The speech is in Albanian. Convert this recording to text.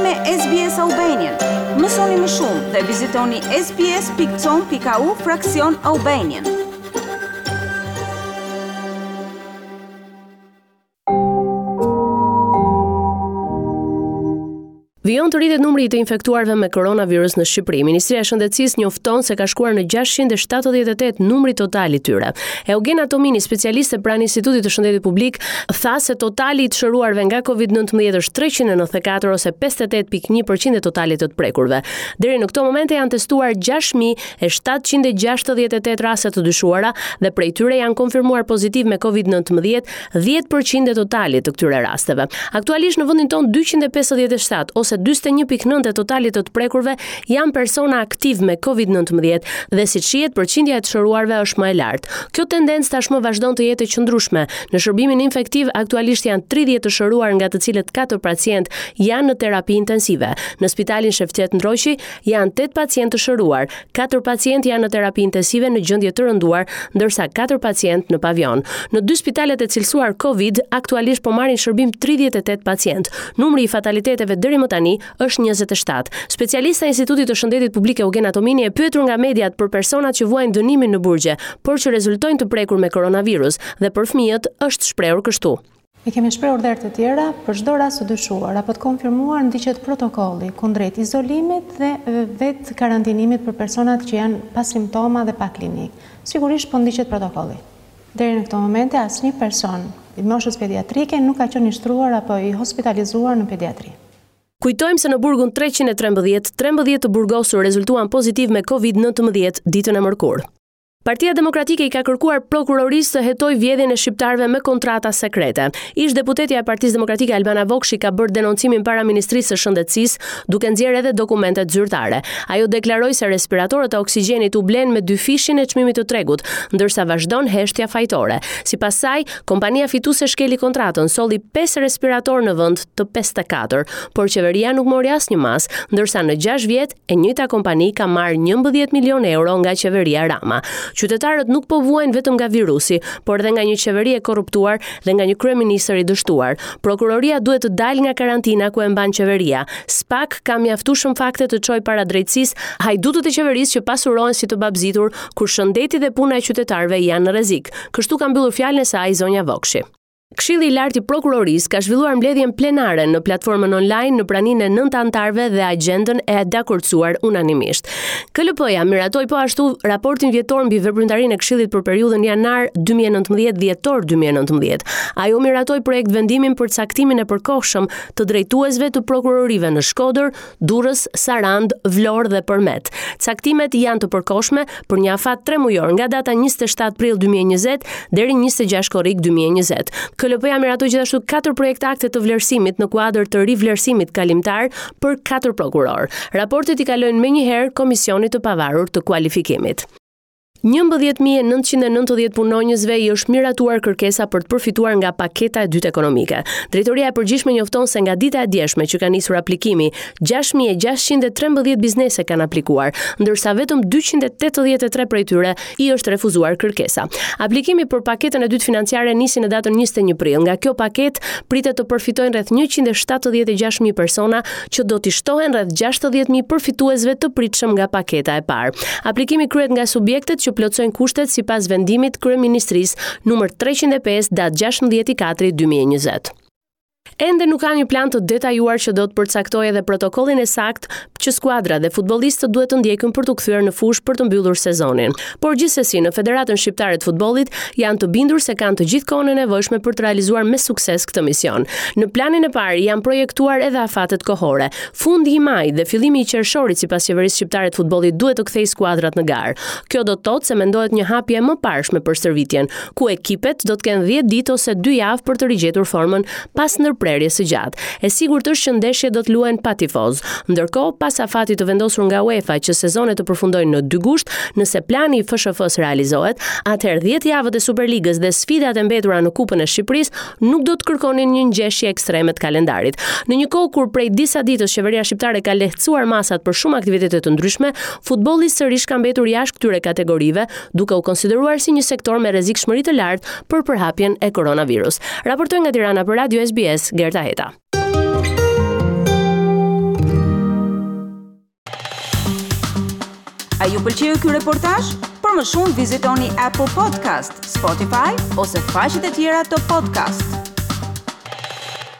me SBS Albanian. Mësoni më shumë dhe vizitoni sbs.com.au fraksion Albanian. Vijon të rritet numri i të infektuarve me koronavirus në Shqipëri. Ministria e Shëndetësisë njofton se ka shkuar në 678 numri total i tyre. Eugena Tomini, specialiste pranë Institutit të Shëndetit Publik, tha se totali i të shëruarve nga COVID-19 është 394 ose 58.1% e totalit të të prekurve. Deri në këto momente janë testuar 6768 raste të dyshuara dhe prej tyre janë konfirmuar pozitiv me COVID-19 10% e totalit të këtyre rasteve. Aktualisht në vendin tonë 257 ose 41.9 e totalit të të prekurve janë persona aktivë me COVID-19 dhe siç shihet përqindja e të shëruarve është më e lartë. Kjo tendencë tashmë vazhdon të jetë e qëndrueshme. Në shërbimin infektiv aktualisht janë 30 të shëruar nga të cilët 4 pacientë janë në terapi intensive. Në spitalin Shefqet Ndroqi janë 8 pacientë të shëruar, Katër pacientë janë në terapi intensive në gjendje të rënduar, ndërsa katër pacientë në pavion. Në dy spitalet e cilësuar Covid, aktualisht po marrin shërbim 38 pacientë. Numri i fataliteteve deri më tani është 27. Specialistja e Institutit të Shëndetit Publik Eugena Tomini e pyetur nga mediat për personat që vuajnë dënimin në burgje, por që rezultojnë të prekur me koronavirus dhe për fëmijët është shprehur kështu. E kemi shprehur dhe herë të tjera, për çdo rast të dyshuar apo të konfirmuar ndiqet protokolli kundrejt izolimit dhe vetëkarantinimit për personat që janë pa simptoma dhe pa klinikë. Sigurisht po ndiqet protokolli. Deri në këto momente asnjë person i moshës pediatrike nuk ka qenë i shtruar apo i hospitalizuar në pediatri. Kujtojmë se në burgun 313, 13 të burgosur rezultuan pozitiv me Covid-19 ditën e mërkurë. Partia Demokratike i ka kërkuar prokurorisë të hetojë vjedhjen e shqiptarëve me kontrata sekrete. Ish-deputetja e Partisë Demokratike Albana Vokshi ka bërë denoncimin para Ministrisë së Shëndetësisë, duke nxjerrë edhe dokumentet zyrtare. Ajo deklaroi se respiratorët e oksigjenit u blenë me dyfishin e çmimit të tregut, ndërsa vazhdon heshtja fajtore. Sipas saj, kompania fituese shkeli kontratën, solli 5 respiratorë në vend të 54, por qeveria nuk mori asnjë masë, ndërsa në 6 vjet E njëjta kompani ka marrë 11 milionë euro nga qeveria Rama. Qytetarët nuk po vuajnë vetëm nga virusi, por edhe nga një qeveri e korruptuar dhe nga një kryeministër i dështuar. Prokuroria duhet të dalë nga karantina ku e mban qeveria. SPAK ka mjaftueshëm fakte të çojë para drejtësisë hajdutët e qeverisë që pasurohen si të babëzitur kur shëndeti dhe puna e qytetarëve janë në rrezik. Kështu ka mbyllur fjalën e saj zonja Vokshi. Këshilli i Lartë i Prokurorisë ka zhvilluar mbledhjen plenare në platformën online në praninë e 9 anëtarëve dhe agjendën e dakordësuar unanimisht. KLP-ja miratoi po ashtu raportin vjetor mbi veprimtarinë e Këshillit për periudhën janar 2019 dhjetor 2019. Ajo miratoi projektvendimin për caktimin e përkohshëm të drejtuesve të prokurorive në Shkodër, Durrës, Sarandë, Vlorë dhe Përmet. Caktimet janë të përkohshme për një afat tremujor nga data 27 prill 2020 deri 26 korrik 2020. KLP-ja miratoi gjithashtu katër projektakte të vlerësimit në kuadër të rivlerësimit kalimtar për katër prokurorë. Raportet i kalojnë menjëherë Komisionit të Pavarur të Kualifikimit. 11.990 punonjësve i është miratuar kërkesa për të përfituar nga paketa e dytë ekonomike. Drejtoria e Përgjithshme njofton se nga dita e djeshme që ka nisur aplikimi, 6.613 biznese kanë aplikuar, ndërsa vetëm 283 prej tyre i është refuzuar kërkesa. Aplikimi për paketën e dytë financiare nisi në datën 21 prill. Nga kjo paketë pritet të përfitojnë rreth 176.000 persona që do t'i shtohen rreth 60.000 përfituesve të pritshëm nga paketa e parë. Aplikimi kryhet nga subjektet që plotësojnë kushtet sipas vendimit Kryeministrisë numër 305 datë 16 4 2020. Ende nuk ka një plan të detajuar që do të përcaktojë edhe protokollin e saktë që skuadra dhe futbollistët duhet të ndjekin për t'u kthyer në fushë për të mbyllur sezonin. Por gjithsesi në Federatën Shqiptare të Futbollit janë të bindur se kanë të gjithë kohën e nevojshme për të realizuar me sukses këtë mision. Në planin e parë janë projektuar edhe afatet kohore. Fundi i majit dhe fillimi i qershorit sipas qeverisë shqiptare të futbollit duhet të kthejë skuadrat në garë. Kjo do të thotë se mendohet një hapje e mëparshme për stërvitjen, ku ekipet do të kenë 10 ditë ose 2 javë për të rigjetur formën pas ndërprerjes së gjatë. E sigurt është që ndeshjet do të luhen pa tifozë. Ndërkohë, pas afatit të vendosur nga UEFA që sezonet të përfundojnë në 2 gusht, nëse plani i FSHF-së realizohet, atëherë 10 javët e Superligës dhe sfidat e mbetura në Kupën e Shqipërisë nuk do të kërkonin një ngjeshje ekstreme të kalendarit. Në një kohë kur prej disa ditësh qeveria shqiptare ka lehtësuar masat për shumë aktivitete të ndryshme, futbolli sërish ka mbetur jashtë këtyre kategorive, duke u konsideruar si një sektor me rrezikshmëri të lartë për përhapjen e koronavirus. Raportoi nga Tirana për Radio SBS, Gerta Heta. A ju pëlqeu ky reportazh? Për më shumë vizitoni Apple Podcast, Spotify ose faqet e tjera të podcast.